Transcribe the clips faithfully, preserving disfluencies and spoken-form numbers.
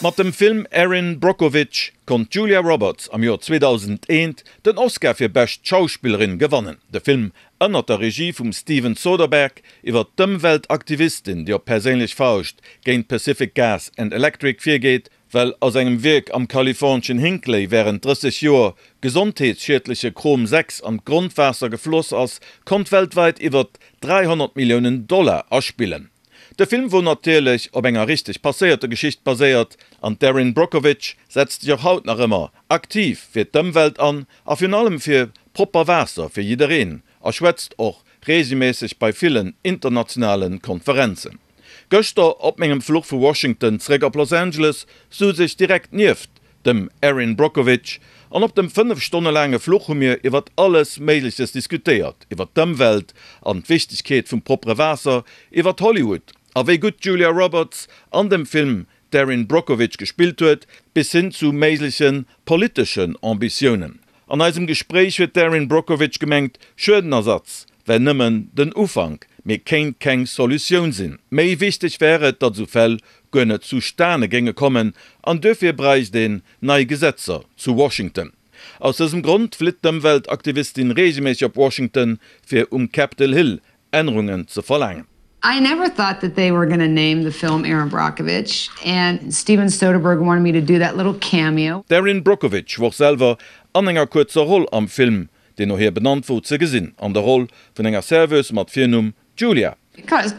Mat dem Film Erin Brockovich konnt d'Julia Roberts am Joer zweedausendeent den Oscar fir bescht Schauspillerin gewannen. De Film ënnert der Regie vum Steven Soderbergh iwwer d'Ëmweltaktivistin, déi op perséinlech Fauscht géint Pacific Gas and Electric virgeet, well aus engem Wierk am kaliforneschen Hinkley wärend drësseg Joer gesondheetsschiedleche Chrom sechs an d'Grondwaasser gefloss ass, konnt weltwäit iwwer dräihonnert Milliounen Dollar aspillen. De Film wor natierlech op enger richteg passéierter Geschicht baséiert an d'Erin Brockovich setzt sech och haut nach ëmmer aktiv fir d'Ëmwelt an a virun allem fir propper Waasser fir jiddereen a schwätzt och reegelméisseg bei villen internationale Konferenzen. Gëschter op mengem Fluch vu Washington zeréck op Los Angeles souz ech direkt nieft dem Erin Brockovich an op dem fënnef Stonne laange Fluch hu mir iwwert alles Méigleches diskutéiert, iwwert d'Ëmwelt an d'Wichtegkeet vum proppere Waasser, iwwert Hollywood a wéi gutt d'Julia Roberts an dem Film d'Erin Brockovich gespillt huet, bis hin zu méigleche politeschen Ambitiounen. An eisem Gespréich huet d'Erin Brockovich gemengt, Schuedenersatz wär nëmmen den Ufank, mee kéint keng Solutioun sinn. Méi wichteg wär et, datt esou Fäll guer net zustane géinge kommen an duerfir bräicht een nei Gesetzer zu Washington. Aus dësem Grond flitt d'Ëmweltaktivistin reegelméisseg op Washington, fir um Capitol Hill Ännerungen ze verlaangen. I never thought that they were gonna name the film Erin Brockovich and Steven Soderbergh wanted me to do that little cameo. D'Erin Brockovich wor selwer an enger kuerzer Roll am Film, deen no hir benannt wor, ze gesinn, an der Roll vun enger Serveuse mat Virnumm Julia.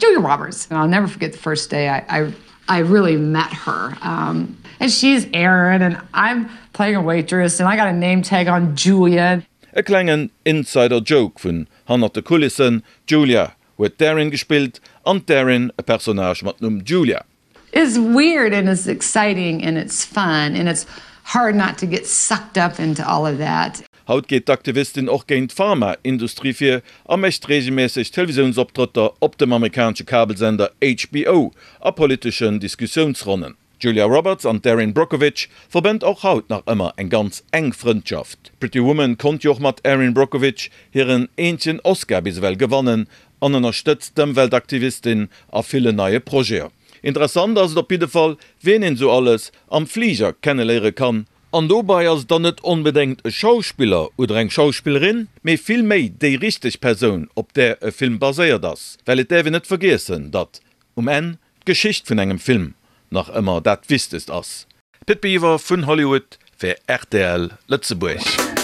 Julia Roberts and I'll never forget the first day I I I really met her um and she's Erin and I'm playing a waitress and I got a name tag on Julia. E klengen Insider Joke vun hannert de Kulissen, D'Julia huet d'Erin gespillt an d'Erin e Personnage mat Numm Julia. It's weird and it's exciting and it's fun and it's hard not to get sucked up into all of that. Haut geet d'Aktivistin och géint d'Pharma-Industrie vir a mécht reegelméisseg Televisiounsoptrëtter op dem amerikanesche Kabelsender H B O a politeschen Diskussiounsronnen. D'Julia Roberts an d'Erin Brockovich verbënnt och haut nach ëmmer eng ganz enk Frëndschaft. Pretty Woman konnt jo och mat Erin Brockovich hiren eenzegen Oscar bis ewell gewannen an ënnerstëtzt d'Ëmweltaktivistin a villen neie Projeten. Interessant ass et op jidde Fall, wien een sou alles am Fliger kenneléiere kann. An dobei ass et dann net onbedéngt e Schauspiller oder eng Schauspillerin, mee vill méi déi richteg Persoun, op där e Film baséiert ass. Well et däerf een net vergiessen, datt um Enn d'Geschicht vun engem Film nach ëmmer dat Wichtegst ass. Pit Biwer vun Hollywood fir rtl Lëtzebuerg.